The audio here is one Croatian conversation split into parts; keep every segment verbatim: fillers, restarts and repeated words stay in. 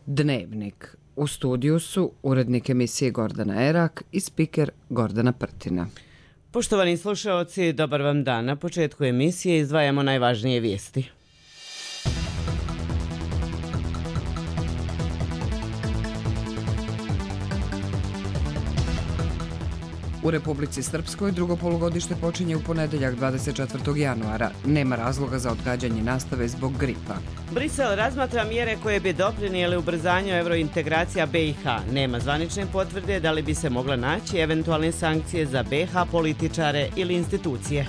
Dnevnik. U studiju su urednik emisije Gordana Erak i spiker Gordana Prtina. Poštovani slušaoci, dobar vam dan. Na početku emisije izdvajamo najvažnije vijesti. U Republici Srpskoj drugo polugodište počinje u ponedeljak dvadeset četvrtog januara. Nema razloga za odgađanje nastave zbog gripa. Brisel razmatra mjere koje bi doprinijele ubrzanju evrointegracija B i H. Nema zvanične potvrde da li bi se mogla naći eventualne sankcije za B i H političare ili institucije.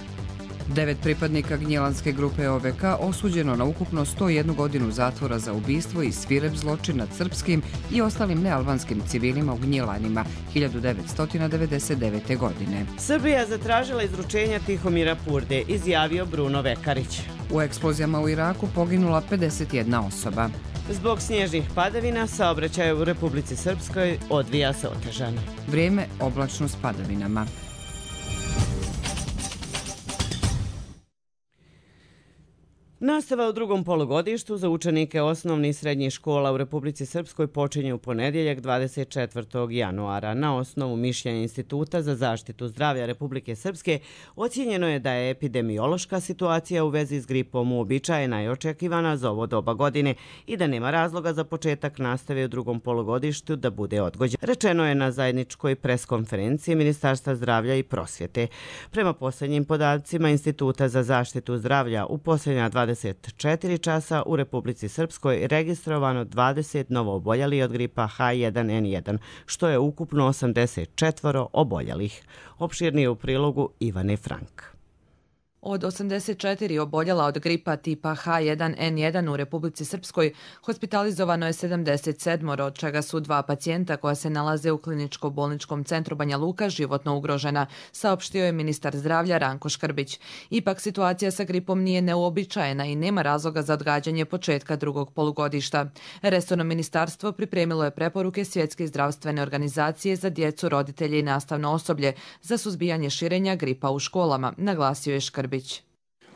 Devet pripadnika Gnjilanske grupe O V K osuđeno na ukupno sto jednu godinu zatvora za ubistvo i svirep zločin nad srpskim i ostalim nealbanskim civilima u Gnjilanima hiljadu devetsto devedeset devete. godine. Srbija zatražila izručenja Tihomira Purde, izjavio Bruno Vekarić. U eksplozijama u Iraku poginula pedeset jedna osoba. Zbog snježnih padavina saobraćaj u Republici Srpskoj odvija se otežano. Vrijeme oblačno s padavinama. Nastava u drugom polugodištu za učenike osnovnih i srednjih škola u Republici Srpskoj počinje u ponedjeljak dvadeset četvrtog januara. Na osnovu mišljenja Instituta za zaštitu zdravlja Republike Srpske ocijenjeno je da je epidemiološka situacija u vezi s gripom uobičajena i očekivana za ovo doba godine i da nema razloga za početak nastave u drugom polugodištu da bude odgođen. Rečeno je na zajedničkoj preskonferenciji Ministarstva zdravlja i prosvjete. Prema posljednjim podacima Instituta za zaštitu zdravlja u posljednja dvadeset četiri časa u Republici Srpskoj registrovano dvadeset novooboljeli od gripa H jedan N jedan, što je ukupno osamdeset četiri oboljelih. Opširnije u prilogu Ivane Frank. Od osamdeset četiri oboljela od gripa tipa H jedan N jedan u Republici Srpskoj hospitalizovano je sedamdeset sedam, od čega su dva pacijenta koja se nalaze u kliničko-bolničkom centru Banja Luka životno ugrožena, saopštio je ministar zdravlja Ranko Škrbić. Ipak situacija sa gripom nije neuobičajena i nema razloga za odgađanje početka drugog polugodišta. Resorno ministarstvo pripremilo je preporuke Svjetske zdravstvene organizacije za djecu, roditelje i nastavno osoblje za suzbijanje širenja gripa u školama, naglasio je Škrbić.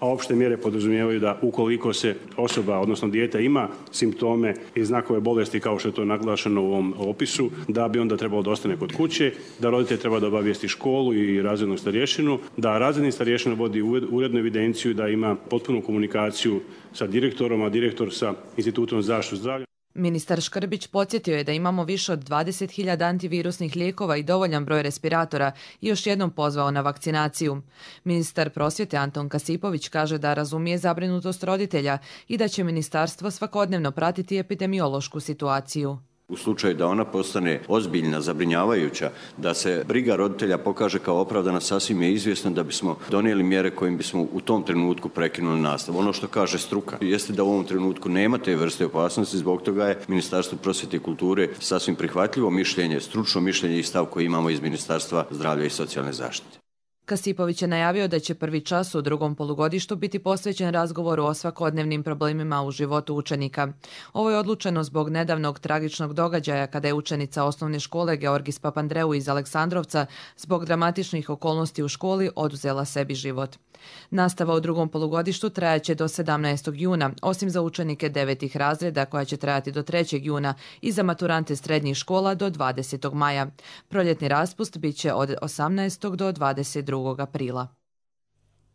A opšte mjere podrazumijevaju da ukoliko se osoba, odnosno dijete, ima simptome i znakove bolesti kao što je to naglašeno u ovom opisu, da bi onda trebalo da ostane kod kuće, da roditelj treba da obavijesti školu i razrednog starješinu, da razredni starješina vodi urednu evidenciju, da ima potpunu komunikaciju sa direktorom, a direktor sa Institutom za zaštitu zdravlja. Ministar Škrbić podsjetio je da imamo više od dvadeset hiljada antivirusnih lijekova i dovoljan broj respiratora i još jednom pozvao na vakcinaciju. Ministar prosvjete Anton Kasipović kaže da razumije zabrinutost roditelja i da će ministarstvo svakodnevno pratiti epidemiološku situaciju. U slučaju da ona postane ozbiljna, zabrinjavajuća, da se briga roditelja pokaže kao opravdana, sasvim je izvjesno da bismo donijeli mjere kojim bismo u tom trenutku prekinuli nastavu. Ono što kaže struka jeste da u ovom trenutku nema te vrste opasnosti, zbog toga je Ministarstvo prosvjete i kulture sasvim prihvatljivo mišljenje, stručno mišljenje i stav koji imamo iz Ministarstva zdravlja i socijalne zaštite. Kasipović je najavio da će prvi čas u drugom polugodištu biti posvećen razgovoru o svakodnevnim problemima u životu učenika. Ovo je odlučeno zbog nedavnog tragičnog događaja kada je učenica osnovne škole Georgis Papandreou iz Aleksandrovca zbog dramatičnih okolnosti u školi oduzela sebi život. Nastava u drugom polugodištu trajaće do sedamnaestog juna, osim za učenike devetih razreda koja će trajati do trećeg juna i za maturante srednjih škola do dvadesetog maja. Proljetni raspust bit će od osamnaestog do dvadeset drugog aprila.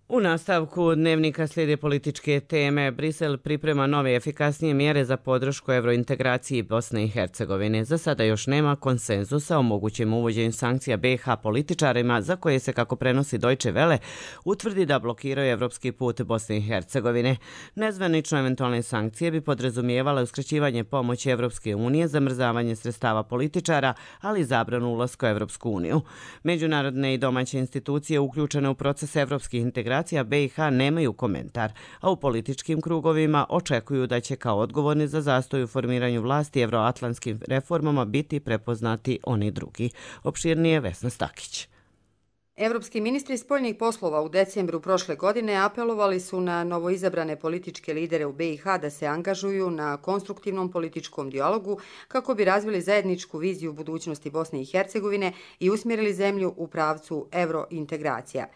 U nastavku dnevnika slijede političke teme. Brisel priprema nove efikasnije mjere za podršku evrointegraciji Bosne i Hercegovine. Za sada još nema konsenzusa o mogućem uvođenju sankcija B i H političarima za koje se, kako prenosi Deutsche Welle, utvrdi da blokiraju evropski put Bosne i Hercegovine. Nezvanično eventualne sankcije bi podrazumijevale uskraćivanje pomoći Evropske unije, zamrzavanje sredstava političara, ali i zabranu ulaska u Evropsku uniju. Međunarodne i domaće institucije uključene u proces evropskih integracija B i H nemaju komentar, a u političkim krugovima očekuju da će kao odgovorni za zastoj u formiranju vlasti evroatlantskim reformama biti prepoznati oni drugi. Opširnije Vesna Stakić. Evropski ministri spoljnih poslova u decembru prošle godine apelovali su na novoizabrane političke lidere u B i H da se angažuju na konstruktivnom političkom dijalogu kako bi razvili zajedničku viziju budućnosti Bosne i Hercegovine i usmjerili zemlju u pravcu evrointegracija.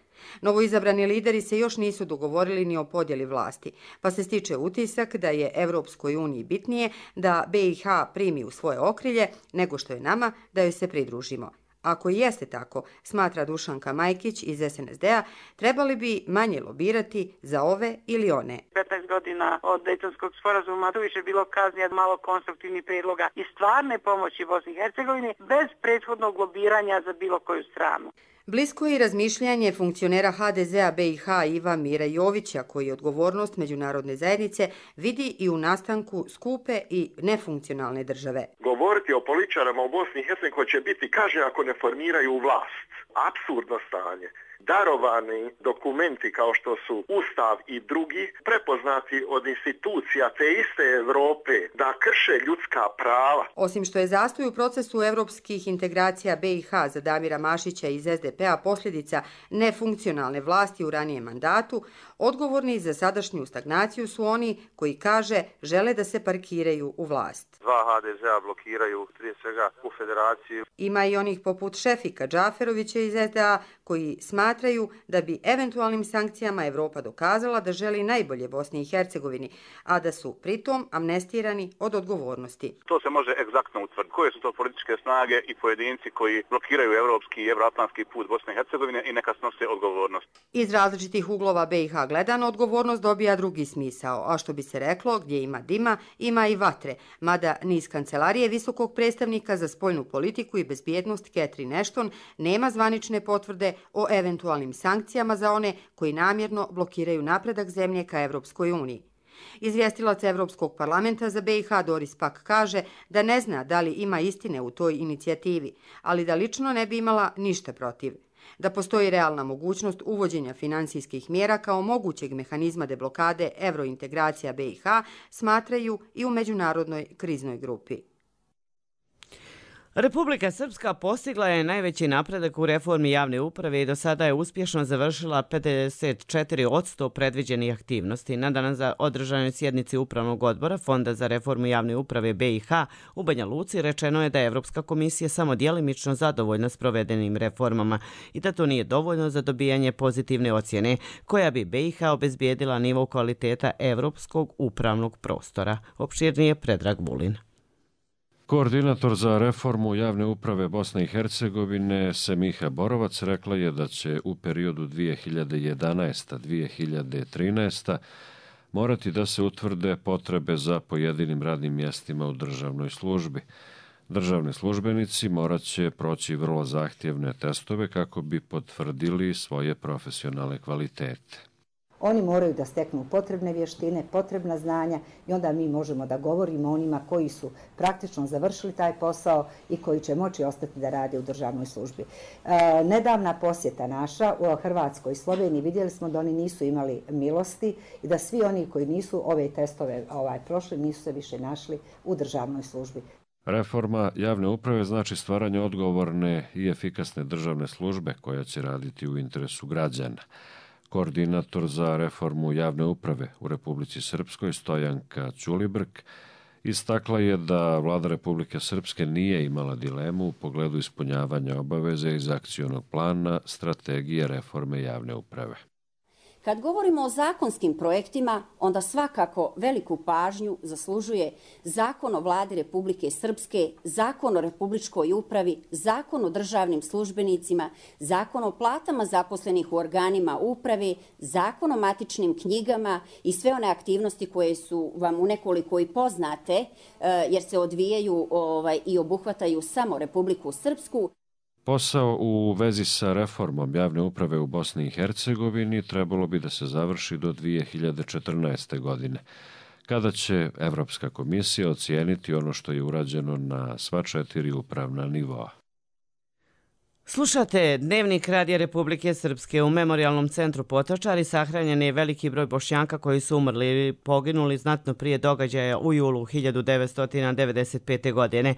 Novoizabrani lideri se još nisu dogovorili ni o podjeli vlasti, pa se stiče utisak da je Evropskoj uniji bitnije da B i H primi u svoje okrilje nego što je nama da joj se pridružimo. Ako i jeste tako, smatra Dušanka Majkić iz S N S D-a, trebali bi manje lobirati za ove ili one. petnaest godina od Dejtonskog sporazuma tu više bilo kaznija, malo konstruktivnih prijedloga i stvarne pomoći Bosni i Hercegovini bez prethodnog lobiranja za bilo koju stranu. Blisko je i razmišljanje funkcionera H D Z-a B i H Iva Mira Jovića, koji odgovornost međunarodne zajednice vidi i u nastanku skupe i nefunkcionalne države. Govoriti o političarima u Bosni i Hercegovini koji će biti kaže ako ne formiraju vlast. Apsurdno stanje. Darovani dokumenti kao što su Ustav i drugi prepoznati od institucija te iste Evrope da krše ljudska prava. Osim što je zastoj u procesu evropskih integracija B i H za Damira Mašića iz S D P-a posljedica nefunkcionalne vlasti u ranijem mandatu, odgovorni za sadašnju stagnaciju su oni koji, kaže, žele da se parkiraju u vlast. Dva H D Z-a blokiraju prije svega u federaciju. Ima i onih poput Šefika Džaferovića iz S D A koji smatraju da bi eventualnim sankcijama Evropa dokazala da želi najbolje Bosni i Hercegovini, a da su pritom amnestirani od odgovornosti. To se može egzaktno utvrditi. Koje su to političke snage i pojedinci koji blokiraju evropski i evroatlantski put Bosne i Hercegovine i neka snose odgovornost. Iz različitih uglova B i H gledano odgovornost dobija drugi smisao, a što bi se reklo, gdje ima dima, ima i vatre, mada ni iz kancelarije visokog predstavnika za spoljnu politiku i bezbjednost Catherine Ashton nema zvanične potvrde o eventualnim sankcijama za one koji namjerno blokiraju napredak zemlje ka Evropskoj uniji. Izvjestilac Evropskog parlamenta za B i H Doris Pack kaže da ne zna da li ima istine u toj inicijativi, ali da lično ne bi imala ništa protiv. Da postoji realna mogućnost uvođenja finansijskih mjera kao mogućeg mehanizma deblokade evrointegracija B i H smatraju i u međunarodnoj kriznoj grupi. Republika Srpska postigla je najveći napredak u reformi javne uprave i do sada je uspješno završila pedeset četiri posto predviđenih aktivnosti. Na danas za održanoj sjednici Upravnog odbora Fonda za reformu javne uprave B i H u Banja Luci rečeno je da je Evropska komisija samo djelimično zadovoljna s provedenim reformama i da to nije dovoljno za dobijanje pozitivne ocjene koja bi B i H obezbijedila nivo kvaliteta evropskog upravnog prostora. Opširnije Predrag Vulin. Koordinator za reformu javne uprave Bosne i Hercegovine Semiha Borovac rekla je da će u periodu dvije hiljade jedanaesta do dvije hiljade trinaesta. morati da se utvrde potrebe za pojedinim radnim mjestima u državnoj službi. Državni službenici morat će proći vrlo zahtjevne testove kako bi potvrdili svoje profesionalne kvalitete. Oni moraju da steknu potrebne vještine, potrebna znanja i onda mi možemo da govorimo o onima koji su praktično završili taj posao i koji će moći ostati da rade u državnoj službi. E, nedavna posjeta naša u Hrvatskoj i Sloveniji, vidjeli smo da oni nisu imali milosti i da svi oni koji nisu ove testove ovaj, prošli nisu se više našli u državnoj službi. Reforma javne uprave znači stvaranje odgovorne i efikasne državne službe koja će raditi u interesu građana. Koordinator za reformu javne uprave u Republici Srpskoj Stojanka Ćulibrk istakla je da vlada Republike Srpske nije imala dilemu u pogledu ispunjavanja obaveze iz akcionog plana strategije reforme javne uprave. Kad govorimo o zakonskim projektima, onda svakako veliku pažnju zaslužuje Zakon o vladi Republike Srpske, Zakon o republičkoj upravi, Zakon o državnim službenicima, Zakon o platama zaposlenih u organima uprave, Zakon o matičnim knjigama i sve one aktivnosti koje su vam u nekoliko i poznate, jer se odvijaju ovaj, i obuhvataju samo Republiku Srpsku. Posao u vezi sa reformom javne uprave u Bosni i Hercegovini trebalo bi da se završi do dvije hiljade četrnaeste. godine, kada će Evropska komisija ocijeniti ono što je urađeno na sva četiri upravna nivoa. Slušate Dnevnik Radija Republike Srpske. U Memorijalnom centru Potočari sahranjen je veliki broj Bošnjaka koji su umrli ili poginuli znatno prije događaja u julu hiljadu devetsto devedeset pete. godine.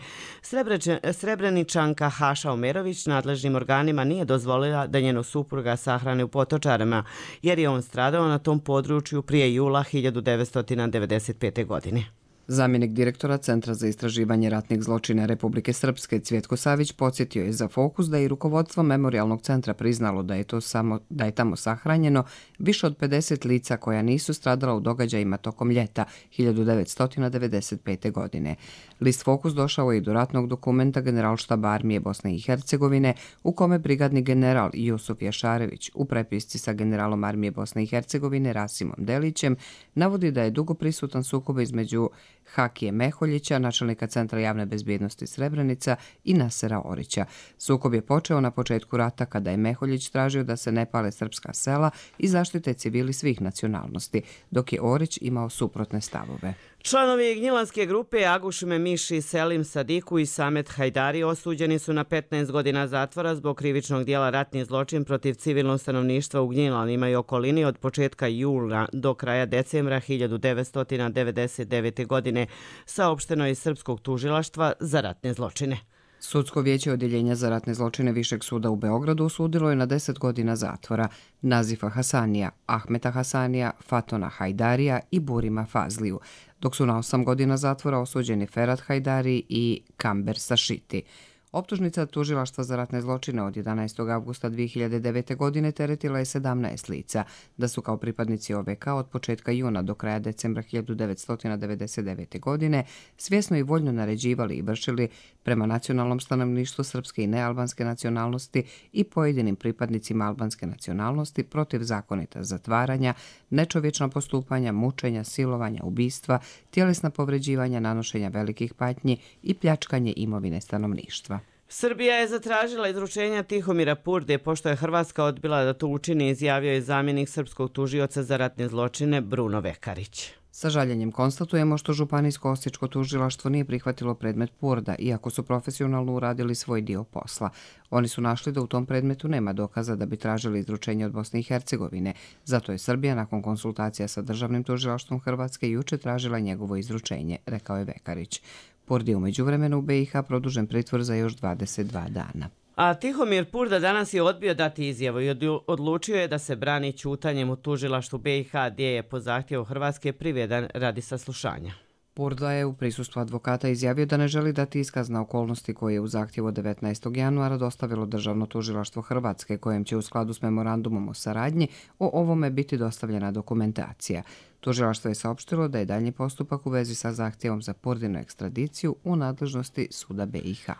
Srebreničanka Haša Omerović nadležnim organima nije dozvolila da njeno supruga sahrane u Potočarima, jer je on stradao na tom području prije jula hiljadu devetsto devedeset pete. godine. Zamjenik direktora Centra za istraživanje ratnih zločina Republike Srpske Cvjetko Savić podsjetio je za Fokus da je rukovodstvo Memorijalnog centra priznalo da je, to samo, da je tamo sahranjeno više od pedeset lica koja nisu stradala u događajima tokom ljeta hiljadu devetsto devedeset pete. godine. List Fokus došao je i do ratnog dokumenta Generalštaba armije Bosne i Hercegovine u kome brigadni general Jusuf Jašarević u prepisci sa generalom armije Bosne i Hercegovine Rasimom Delićem navodi da je dugo prisutan sukob između Hakije Meholjića, načelnika Centra javne bezbjednosti Srebrenica i Nasera Orića. Sukob je počeo na početku rata kada je Meholjić tražio da se ne pale srpska sela i zaštite civili svih nacionalnosti, dok je Orić imao suprotne stavove. Članovi Gnjilanske grupe Aguš Memiši, Selim Sadiku i Samet Hajdari osuđeni su na petnaest godina zatvora zbog krivičnog dijela ratni zločin protiv civilnog stanovništva u Gnjilanima i okolini od početka jula do kraja decembra hiljadu devetsto devedeset devete. godine, saopšteno je iz Srpskog tužilaštva za ratne zločine. Sudsko vijeće odjeljenja za ratne zločine Višeg suda u Beogradu osudilo je na deset godina zatvora Nazifa Hasanija, Ahmeta Hasanija, Fatona Hajdarija i Burima Fazliju, dok su na osam godina zatvora osuđeni Ferhat Hajdari i Kamber Sašiti. Optužnica tužilaštva za ratne zločine od jedanaestog avgusta dvije hiljade devete. godine teretila je sedamnaest lica, da su kao pripadnici O V K od početka juna do kraja decembra hiljadu devetsto devedeset devete. godine svjesno i voljno naređivali i vršili prema nacionalnom stanovništvu srpske i nealbanske nacionalnosti i pojedinim pripadnicima albanske nacionalnosti protivzakonita zatvaranja, nečovječna postupanja, mučenja, silovanja, ubistva, tjelesna povređivanja, nanošenja velikih patnji i pljačkanje imovine stanovništva. Srbija je zatražila izručenja Tihomira Purde, pošto je Hrvatska odbila da to učini, izjavio je zamjenik srpskog tužioca za ratne zločine Bruno Vekarić. Sa žaljenjem konstatujemo što Županijsko osječko tužilaštvo nije prihvatilo predmet Purda, iako su profesionalno uradili svoj dio posla. Oni su našli da u tom predmetu nema dokaza da bi tražili izručenje od Bosne i Hercegovine. Zato je Srbija nakon konsultacija sa državnim tužilaštvom Hrvatske juče tražila njegovo izručenje, rekao je Vekarić. Purdi je u međuvremenu u B i H produžen pritvor za još dvadeset dva dana. A Tihomir Purda danas je odbio dati izjavu i odlučio je da se brani ćutanjem u tužilaštvu B i H, gdje je po zahtjevu Hrvatske priveden radi saslušanja. Purda je u prisustvu advokata izjavio da ne želi dati iskaz na okolnosti koje je u zahtjevu od devetnaestog januara dostavilo Državno tužilaštvo Hrvatske, kojem će u skladu s memorandumom o saradnji o ovome biti dostavljena dokumentacija. Tužilaštvo je saopštilo da je daljnji postupak u vezi sa zahtjevom za Purdinu ekstradiciju u nadležnosti suda B i H.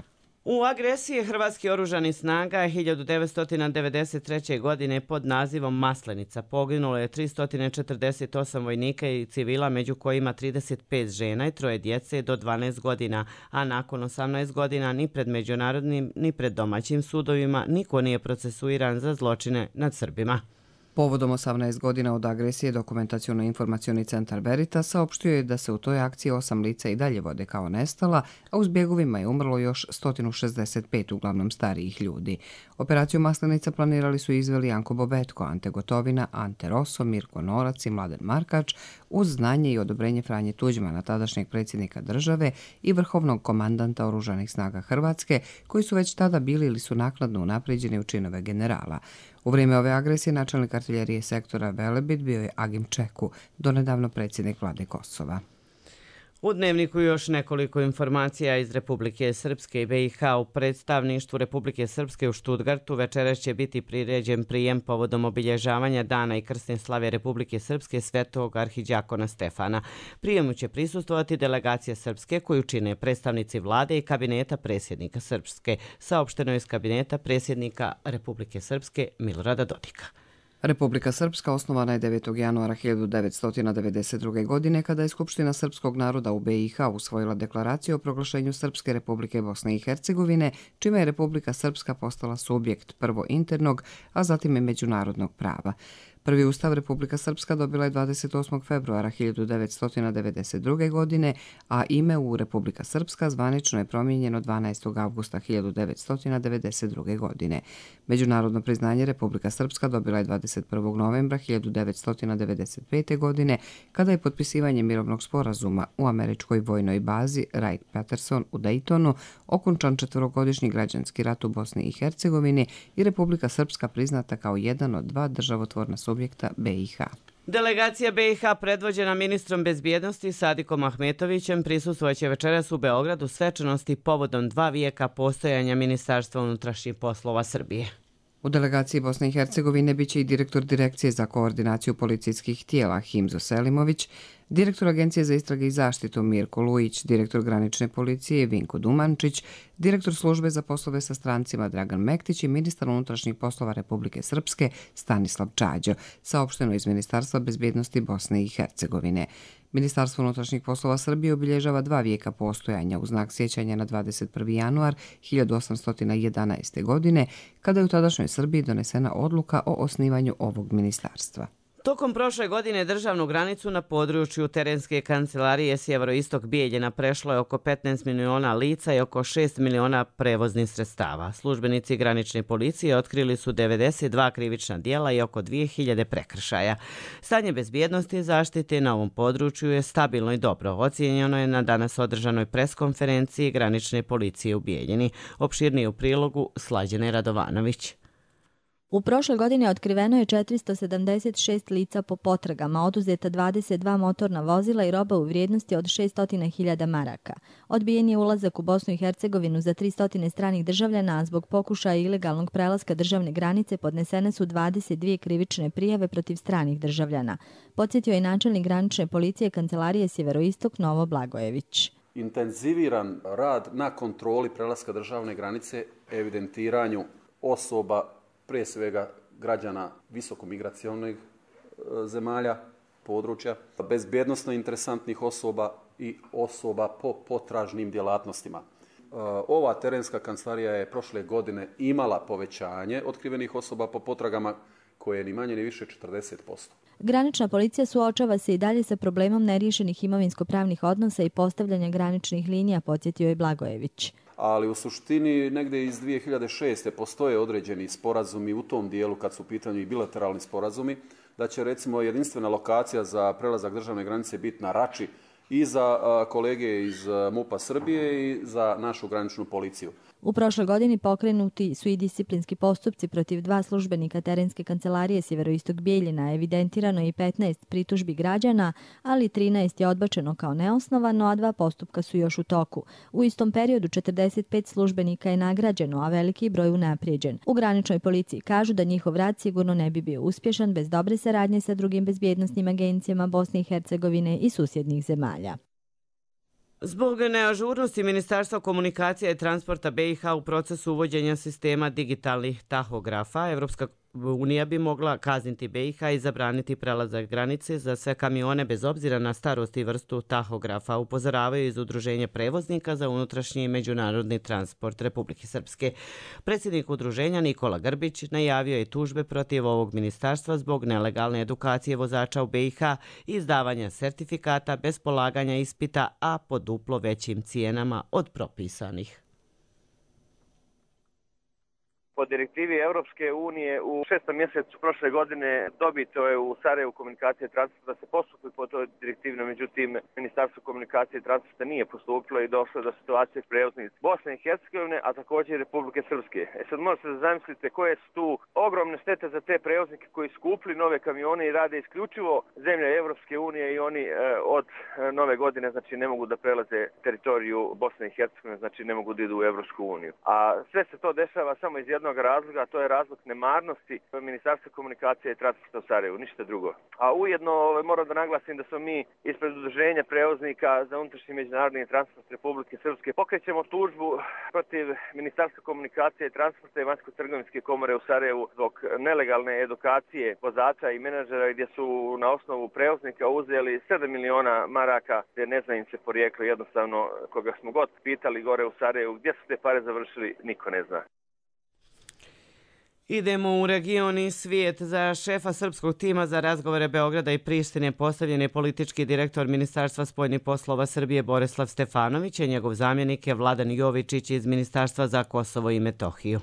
U agresiji Hrvatskih oružanih snaga hiljadu devetsto devedeset treće. godine pod nazivom Maslenica poginulo je tristo četrdeset osam vojnika i civila, među kojima trideset pet žena i troje djece do dvanaest godina, a nakon osamnaest godina ni pred međunarodnim ni pred domaćim sudovima niko nije procesuiran za zločine nad Srbima. Povodom osamnaest godina od agresije Dokumentaciono-informacioni centar Veritas saopštio je da se u toj akciji osam lica i dalje vode kao nestala, a u zbjegovima je umrlo još sto šezdeset pet uglavnom starijih ljudi. Operaciju Maslenica planirali su izveli Janko Bobetko, Ante Gotovina, Ante Rosso, Mirko Norac i Mladen Markač uz znanje i odobrenje Franje Tuđmana, tadašnjeg predsjednika države i vrhovnog komandanta Oružanih snaga Hrvatske, koji su već tada bili ili su naknadno unapređeni u činove generala. U vrijeme ove agresije načelnik artiljerije sektora Velebit bio je Agim Čeku, donedavno predsjednik vlade Kosova. U Dnevniku još nekoliko informacija iz Republike Srpske i B i H. U predstavništvu Republike Srpske u Štutgartu večeras će biti priređen prijem povodom obilježavanja dana i krsne slave Republike Srpske Svetog arhidjakona Stefana. Prijemu će prisustvovati delegacija Srpske koju čine predstavnici vlade i kabineta predsjednika Srpske, saopšteno iz kabineta predsjednika Republike Srpske Milorada Dodika. Republika Srpska osnovana je devetog januara hiljadu devetsto devedeset druge. godine kada je Skupština srpskog naroda u B i H usvojila deklaraciju o proglašenju Srpske Republike Bosne i Hercegovine, čime je Republika Srpska postala subjekt prvo internog, a zatim i međunarodnog prava. Prvi ustav Republika Srpska dobila je dvadeset osmog februara hiljadu devetsto devedeset druge. godine, a ime u Republika Srpska zvanično je promijenjeno dvanaestog avgusta hiljadu devetsto devedeset druge. godine. Međunarodno priznanje Republika Srpska dobila je dvadeset prvog novembra hiljadu devetsto devedeset pete. godine, kada je potpisivanje mirovnog sporazuma u američkoj vojnoj bazi Wright-Patterson u Daytonu okončan četverogodišnji građanski rat u Bosni i Hercegovini i Republika Srpska priznata kao jedan od dva državotvorna subjekta B i H. Delegacija B i H predvođena ministrom bezbjednosti Sadikom Ahmetovićem prisustvojeće večeras u Beogradu svečanosti povodom dva vijeka postojanja Ministarstva unutrašnjih poslova Srbije. U delegaciji Bosne i Hercegovine biće i direktor Direkcije za koordinaciju policijskih tijela Himzo Selimović, direktor Agencije za istrage i zaštitu Mirko Lujić, direktor granične policije Vinko Dumančić, direktor službe za poslove sa strancima Dragan Mektić i ministar unutrašnjih poslova Republike Srpske Stanislav Čađo, saopšteno iz Ministarstva bezbjednosti Bosne i Hercegovine. Ministarstvo unutrašnjih poslova Srbije obilježava dva vijeka postojanja u znak sjećanja na dvadeset prvi januar hiljadu osamsto jedanaeste. godine, kada je u tadašnjoj Srbiji donesena odluka o osnivanju ovog ministarstva. Tokom prošle godine državnu granicu na području terenske kancelarije Sjeveroistok Bijeljina prešlo je oko petnaest miliona lica i oko šest miliona prevoznih sredstava. Službenici granične policije otkrili su devedeset dva krivična djela i oko dvije hiljade prekršaja. Stanje bezbjednosti i zaštite na ovom području je stabilno i dobro. Ocijenjeno je na danas održanoj preskonferenciji granične policije u Bijeljini. Opširnije u prilogu Slađane Radovanović. U prošloj godini otkriveno je četiristo sedamdeset šest lica po potragama, oduzeta dvadeset dva motorna vozila i roba u vrijednosti od šesto hiljada maraka. Odbijen je ulazak u Bosnu i Hercegovinu za tristo stranih državljana, a zbog pokušaja ilegalnog prelaska državne granice podnesene su dvadeset dvije krivične prijave protiv stranih državljana. Podsjetio je načelnik granične policije Kancelarije Sjeveroistok Novo Blagojević. Intenziviran rad na kontroli prelaska državne granice, evidentiranju osoba, prije svega građana visokomigracionih zemalja, područja, bezbjednosno interesantnih osoba i osoba po potražnim djelatnostima. Ova terenska kancelarija je prošle godine imala povećanje otkrivenih osoba po potragama koje je ni manje ni više četrdeset posto. Granična policija suočava se i dalje sa problemom neriješenih imovinsko-pravnih odnosa i postavljanja graničnih linija, podsjetio je Blagojević. Ali u suštini negdje iz dvije hiljade šeste. postoje određeni sporazumi u tom dijelu kad su u pitanju i bilateralni sporazumi, da će recimo jedinstvena lokacija za prelazak državne granice biti na Rači i za kolege iz MUP-a Srbije i za našu graničnu policiju. U prošloj godini pokrenuti su i disciplinski postupci protiv dva službenika terenske kancelarije Sjeveroistok Bijeljina. Evidentirano je i petnaest pritužbi građana, ali trinaest je odbačeno kao neosnovano, a dva postupka su još u toku. U istom periodu četrdeset pet službenika je nagrađeno, a veliki broj unaprijeđen. U graničnoj policiji kažu da njihov rad sigurno ne bi bio uspješan bez dobre saradnje sa drugim bezbjednosnim agencijama Bosne i Hercegovine i susjednih zemalja. Zbog neažurnosti Ministarstva komunikacija i transporta B i H u procesu uvođenja sistema digitalnih tahografa, Evropska unija bi mogla kazniti B i H i zabraniti prelazak granice za sve kamione bez obzira na starost i vrstu tahografa, upozoravaju iz Udruženja prevoznika za unutrašnji i međunarodni transport Republike Srpske. Predsjednik udruženja Nikola Grbić najavio je tužbe protiv ovog ministarstva zbog nelegalne edukacije vozača u B i H i izdavanja sertifikata bez polaganja ispita, a po duplo većim cijenama od propisanih. Po direktivi Europske unije u šestom mjesecu prošle godine dobito je u Sarajevu komunikacije i transporta da se postupi po toj direktivi, međutim Ministarstvo komunikacije i transporta nije postupilo i došlo do situacije prevoznika Bosne i Hercegovine, a također i Republike Srpske. E sad možete da zamislite koje su tu ogromne štete za te prevoznike koji su kupili nove kamione i rade isključivo zemlje Europske unije i oni e, od e, nove godine znači ne mogu da prelaze teritoriju Bosne i Hercegovine, znači ne mogu da idu u Europsku uniju. A sve se to dešava samo iz jednog razloga, a to je razlog nemarnosti Ministarstva komunikacije i transporta u Sarajevu, ništa drugo. A ujedno moram da naglasim da smo mi ispred Udruženja prevoznika za unutrašnji međunarodni transport Republike Srpske pokrećemo tužbu protiv Ministarstva komunikacije i transporta i Vanjsko-trgovinske komore u Sarajevu zbog nelegalne edukacije vozača i menadžera gdje su na osnovu prevoznika uzeli sedam miliona maraka, gdje ne zna im se porijeklo, jednostavno koga smo god pitali gore u Sarajevu gdje su te pare završili, niko ne zna. Idemo u region i svijet. Za šefa srpskog tima za razgovore Beograda i Prištine postavljen je politički direktor Ministarstva spoljnih poslova Srbije Borislav Stefanović, a njegov zamjenik je Vladan Jovičić iz Ministarstva za Kosovo i Metohiju.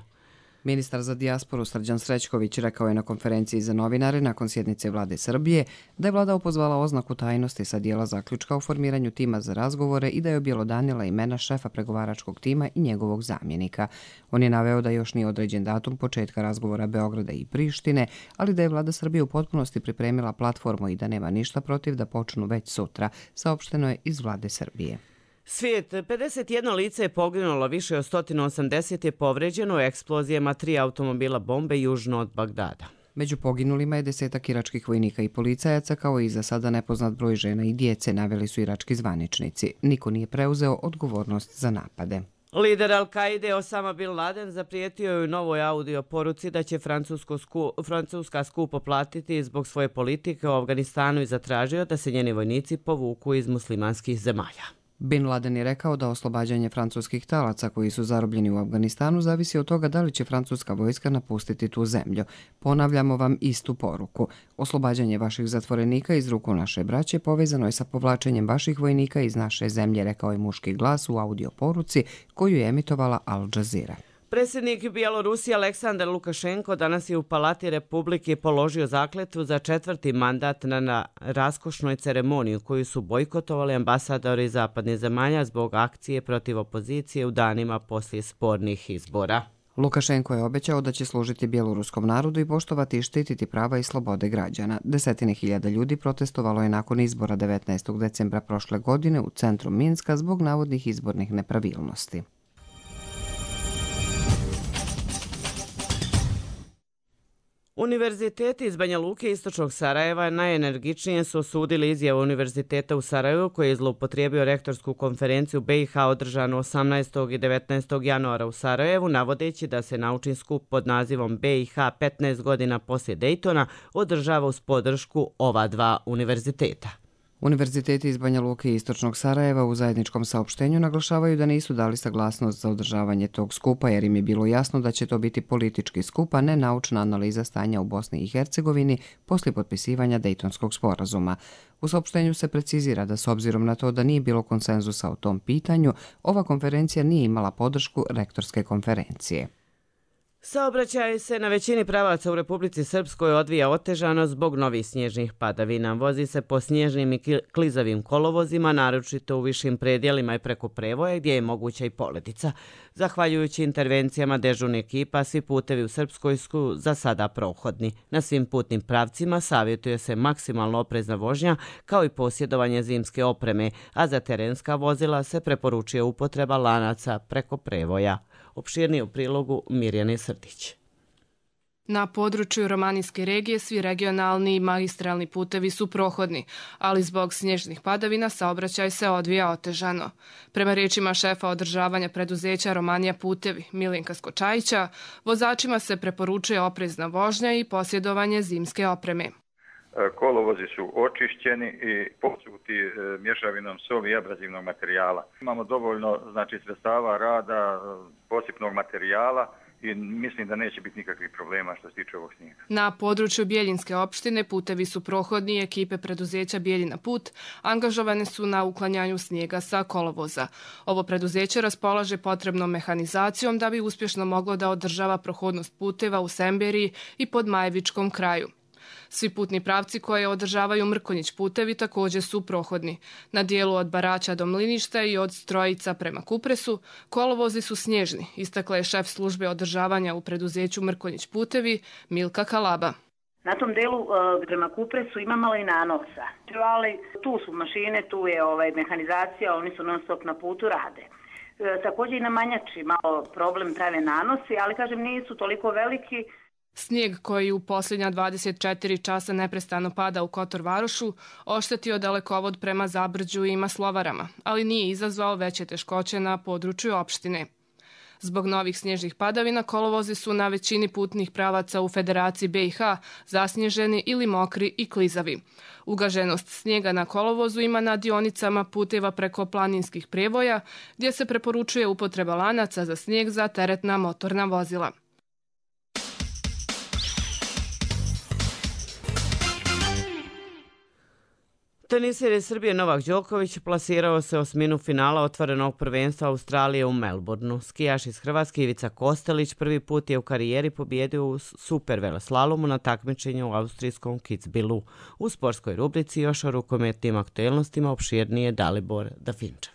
Ministar za dijasporu Srđan Srećković rekao je na konferenciji za novinare nakon sjednice vlade Srbije da je vlada opozvala oznaku tajnosti sa dijela zaključka o formiranju tima za razgovore i da je objelodanila imena šefa pregovaračkog tima i njegovog zamjenika. On je naveo da još nije određen datum početka razgovora Beograda i Prištine, ali da je vlada Srbije u potpunosti pripremila platformu i da nema ništa protiv da počnu već sutra, saopšteno je iz vlade Srbije. Svijet, pedeset jedno lice je poginulo, više od sto osamdeset je povređeno u eksplozijama tri automobila bombe južno od Bagdada. Među poginulima je desetak iračkih vojnika i policajaca, kao i za sada nepoznat broj žena i djece, naveli su irački zvaničnici. Niko nije preuzeo odgovornost za napade. Lider Al-Kaide Osama Bin Laden zaprijetio je u novoj audio poruci da će sku, Francuska skupo platiti zbog svoje politike u Afganistanu i zatražio da se njeni vojnici povuku iz muslimanskih zemalja. Bin Laden je rekao da oslobađanje francuskih talaca koji su zarobljeni u Afganistanu zavisi od toga da li će francuska vojska napustiti tu zemlju. Ponavljamo vam istu poruku. Oslobađanje vaših zatvorenika iz ruku naše braće povezano je sa povlačenjem vaših vojnika iz naše zemlje, rekao je muški glas u audio poruci koju je emitovala Al Jazeera. Predsjednik Bjelorusije Aleksandar Lukašenko danas je u Palati Republike položio zakletvu za četvrti mandat na, na raskošnoj ceremoniji koju su bojkotovali ambasadori zapadnih zemalja zbog akcije protiv opozicije u danima poslije spornih izbora. Lukašenko je obećao da će služiti bjeloruskom narodu i poštovati i štititi prava i slobode građana. Desetine hiljada ljudi protestovalo je nakon izbora devetnaestog decembra prošle godine u centru Minska zbog navodnih izbornih nepravilnosti. Univerziteti iz Banja Luke i istočnog Sarajeva najenergičnije su osudili izjavu Univerziteta u Sarajevu koji je zloupotrijebio rektorsku konferenciju B i H održanu osamnaestog i devetnaestog januara u Sarajevu, navodeći da se naučni skup pod nazivom B i H petnaest godina poslije Daytona održava uz podršku ova dva univerziteta. Univerziteti iz Banja Luke i istočnog Sarajeva u zajedničkom saopštenju naglašavaju da nisu dali saglasnost za održavanje tog skupa jer im je bilo jasno da će to biti politički skup, a ne naučna analiza stanja u Bosni i Hercegovini poslije potpisivanja Dejtonskog sporazuma. U saopštenju se precizira da s obzirom na to da nije bilo konsenzusa o tom pitanju, ova konferencija nije imala podršku rektorske konferencije. Saobraćaj se na većini pravaca u Republici Srpskoj odvija otežano zbog novih snježnih padavina. Vozi se po snježnim i klizavim kolovozima, naročito u višim predjelima i preko prevoja gdje je moguća i poledica. Zahvaljujući intervencijama dežurnih ekipa, svi putevi u Srpskoj su za sada prohodni. Na svim putnim pravcima savjetuje se maksimalno oprezna vožnja kao i posjedovanje zimske opreme, a za terenska vozila se preporučuje upotreba lanaca preko prevoja. Opširnije u prilogu Mirjane Srdić. Na području Romanijske regije svi regionalni i magistralni putevi su prohodni, ali zbog snježnih padavina saobraćaj se odvija otežano. Prema riječima šefa održavanja preduzeća Romanija putevi Milinka Skočajića, vozačima se preporučuje oprezna vožnja i posjedovanje zimske opreme. Kolovozi su očišćeni i posuti mješavinom soli i abrazivnog materijala. Imamo dovoljno znači, sredstava rada, posipnog materijala i mislim da neće biti nikakvih problema što se tiče ovog snijega. Na području Bijeljinske opštine putevi su prohodni i ekipe preduzeća Bijeljina put angažovane su na uklanjanju snijega sa kolovoza. Ovo preduzeće raspolaže potrebnom mehanizacijom da bi uspješno moglo da održava prohodnost puteva u Semberiji i pod Majevičkom kraju. Svi putni pravci koje održavaju Mrkonjić putevi također su prohodni. Na dijelu od Baraća do Mliništa i od Strojica prema Kupresu kolovozi su snježni, istakla je šef službe održavanja u preduzeću Mrkonjić putevi Milka Kalaba. Na tom delu prema Kupresu ima malo i nanosa, ali tu su mašine, tu je ovaj, mehanizacija, oni su non stop na putu, rade. Također i na Manjači malo problem prave nanosi, ali kažem nisu toliko veliki. Snijeg koji u posljednja dvadeset četiri časa neprestano pada u Kotor Varošu oštetio dalekovod prema Zabrđu i Maslovarama, ali nije izazvao veće teškoće na području opštine. Zbog novih snježnih padavina kolovozi su na većini putnih pravaca u Federaciji B i H zasnježeni ili mokri i klizavi. Ugaženost snijega na kolovozu ima na dionicama puteva preko planinskih prevoja gdje se preporučuje upotreba lanaca za snijeg za teretna motorna vozila. Teniser iz Srbije Novak Đoković plasirao se osminu finala otvorenog prvenstva Australije u Melbourneu. Skijaš iz Hrvatske Ivica Kostelić prvi put je u karijeri pobjedio u super veleslalomu na takmičenju u austrijskom Kitzbühelu. U sportskoj rubrici još o rukometnim aktuelnostima opširnije Dalibor Dafinčev.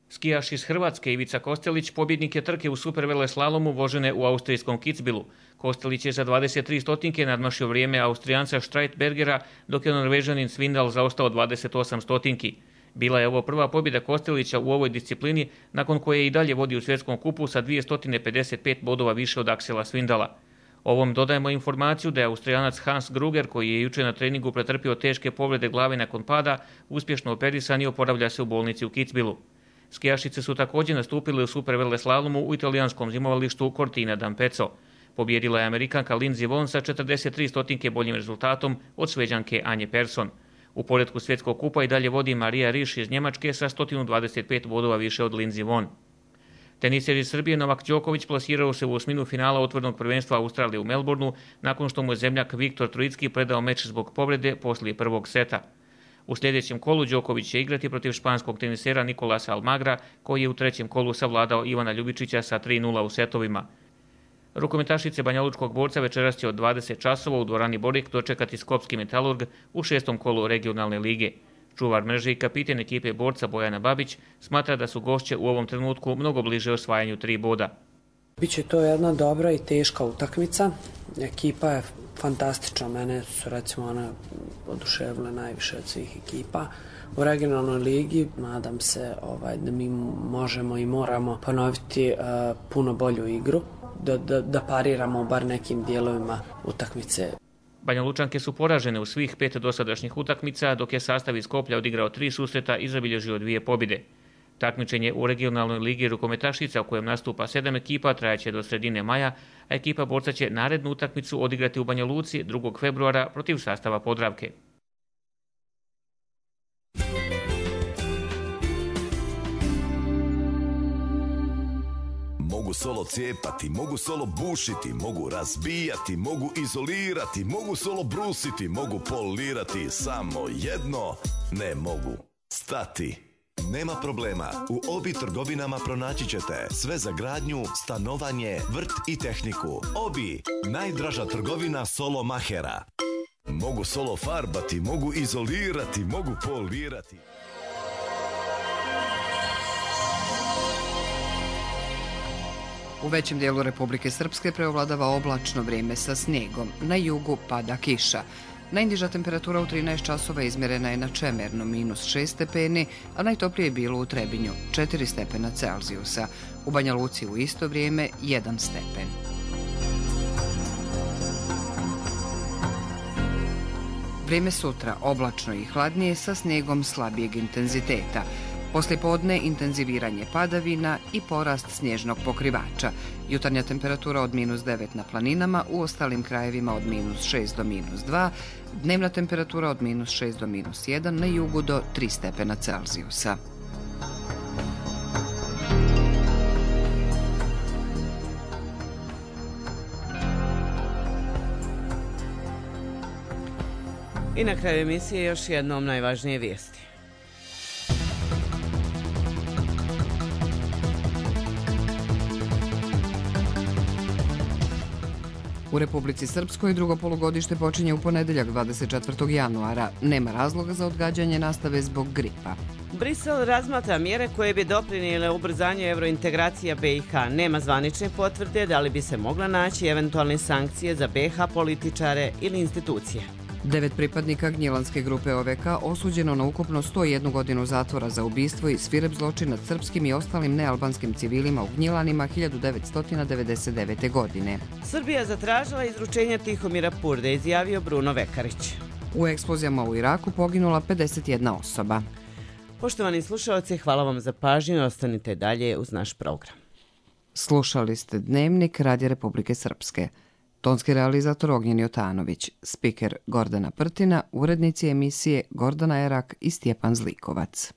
Skijaš iz Hrvatske Ivica Kostelić pobjednik je trke u superveleslalomu vožene u austrijskom Kitzbühelu. Kostelić je za dvadeset tri stotinke nadmašio vrijeme Austrijanca Streitbergera, dok je Norvežanin Svindal zaostao dvadeset osam stotinki. Bila je ovo prva pobjeda Kostelića u ovoj disciplini, nakon koje i dalje vodi u svjetskom kupu sa dvjesto pedeset pet bodova više od Aksela Svindala. Ovom dodajemo informaciju da je Austrijanac Hans Gruger, koji je juče na treningu pretrpio teške povrede glave nakon pada, uspješno operisan i oporavlja se u bolnici u Kitzbühelu. Skijašice su također nastupile u superveleslalomu u italijanskom zimovalištu Cortina d'Ampezzo. Pobjedila je Amerikanka Lindsey Vonn sa četrdeset tri stotinke boljim rezultatom od Šveđanke Anje Persson. U poretku svjetskog kupa i dalje vodi Marija Riš iz Njemačke sa sto dvadeset pet bodova više od Lindsey Vonn. Teniser iz Srbije Novak Đoković plasirao se u osminu finala otvorenog prvenstva Australije u Melbourneu nakon što mu je zemljak Viktor Trojicki predao meč zbog povrede poslije prvog seta. U sljedećem kolu Đoković će igrati protiv španskog tenisera Nicolasa Almagra, koji je u trećem kolu savladao Ivana Ljubičića sa tri nula u setovima. Rukometašice banjalučkog borca večeras će od dvadeset časova u dvorani Borik dočekati Skopski Metalurg u šestom kolu regionalne lige. Čuvar mreže i kapiten ekipe borca Bojana Babić smatra da su gošće u ovom trenutku mnogo bliže osvajanju tri boda. Biće to jedna dobra i teška utakmica. Ekipa je fantastična, mene su recimo one oduševile najviše od svih ekipa. U regionalnoj ligi nadam se ovaj, da mi možemo i moramo ponoviti uh, puno bolju igru, da, da, da pariramo u bar nekim dijelovima utakmice. Banja Lučanke su poražene u svih pet dosadašnjih utakmica, dok je sastav iz Skoplja odigrao tri susreta i zabilježio dvije pobjede. Takmičenje u regionalnoj ligi rukometašica u kojem nastupa sedam ekipa trajaće do sredine maja, a ekipa borca će narednu utakmicu odigrati u Banja Luci drugog februara protiv sastava Podravke. Mogu solo cijepati, mogu solo bušiti, mogu razbijati, mogu izolirati, mogu solo brusiti, mogu polirati, samo jedno ne mogu stati. Nema problema, u Obi trgovinama pronaći ćete sve za gradnju, stanovanje, vrt i tehniku. Obi, najdraža trgovina solo mahera. Mogu solo farbati, mogu izolirati, mogu polirati. U većem dijelu Republike Srpske preovladava oblačno vrijeme sa snijegom. Na jugu pada kiša. Najniža temperatura u trinaest časova izmjerena je na Čemernu minus šest stepeni, a najtoplije je bilo u Trebinju četiri stepena Celzijusa. U Banja Luci u isto vrijeme jedan stepen. Vrijeme sutra oblačno i hladnije sa snijegom slabijeg intenziteta. Poslijepodne intenziviranje padavina i porast snježnog pokrivača. Jutarnja temperatura od minus devet na planinama, u ostalim krajevima od minus šest do minus dva, dnevna temperatura od minus šest do minus jedan, na jugu do tri stepena Celzijusa. I na kraju emisije još jednom najvažnije vijesti. U Republici Srpskoj drugo polugodište počinje u ponedeljak dvadeset četvrtog januara. Nema razloga za odgađanje nastave zbog gripa. Brisel razmatra mjere koje bi doprinijele ubrzanju evrointegracija B i H. Nema zvanične potvrde da li bi se mogla naći eventualne sankcije za B i H političare ili institucije. Devet pripadnika Gnjilanske grupe O V K osuđeno na ukupno sto jednu godinu zatvora za ubistvo i svirep zločin nad srpskim i ostalim nealbanskim civilima u Gnjilanima hiljadu devetsto devedeset devete. godine. Srbija zatražila izručenje Tihomira Purde, izjavio Bruno Vekarić. U eksplozijama u Iraku poginula pedeset jedna osoba. Poštovani slušalci, hvala vam za pažnju i ostanite dalje uz naš program. Slušali ste Dnevnik Radija Republike Srpske. Tonski realizator Ognjen Jotanović, spiker Gordana Prtina, urednici emisije Gordana Erak i Stjepan Zlikovac.